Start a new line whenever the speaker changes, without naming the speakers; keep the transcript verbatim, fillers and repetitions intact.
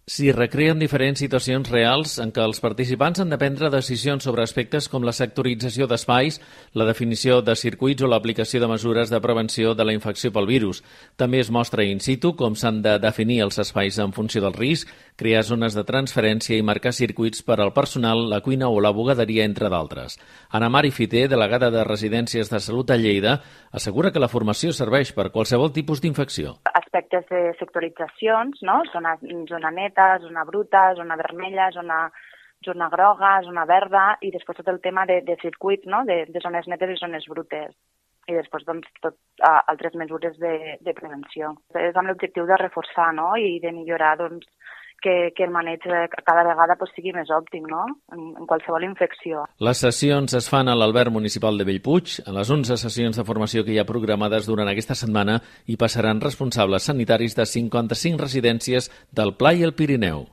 S'hi recreen diferents situacions reals en què els participants han de prendre decisions sobre aspectes com la sectorització d'espais, la definició de circuits o l'aplicació de mesures de prevenció de la infecció pel virus. També es mostra in situ com s'han de definir els espais en funció del risc, crear zones de transferència i marcar circuits per al personal, la cuina o la bugaderia, entre d'altres. Ana Mari Fiter, delegada de Residències de Salut a Lleida, assegura que la formació serveix per qualsevol tipus d'infecció.
Aspectes de sectoritzacions, no? Zona, zona neta, zona bruta, zona vermella, zona, zona groga, zona verda, i després tot el tema de, de circuits, no? de, de zones netes i zones brutes. I després doncs, tot, uh, altres mesures de, de prevenció. És amb l'objectiu de reforçar, no? I de millorar doncs, que, que el maneig cada vegada pues, sigui més òptim, no? En, en qualsevol infecció.
Les sessions es fan a l'Alberg Municipal de Bellpuig. A les onze sessions de formació que hi ha programades durant aquesta setmana hi passaran responsables sanitaris de cinquanta-cinc residències del Pla i el Pirineu.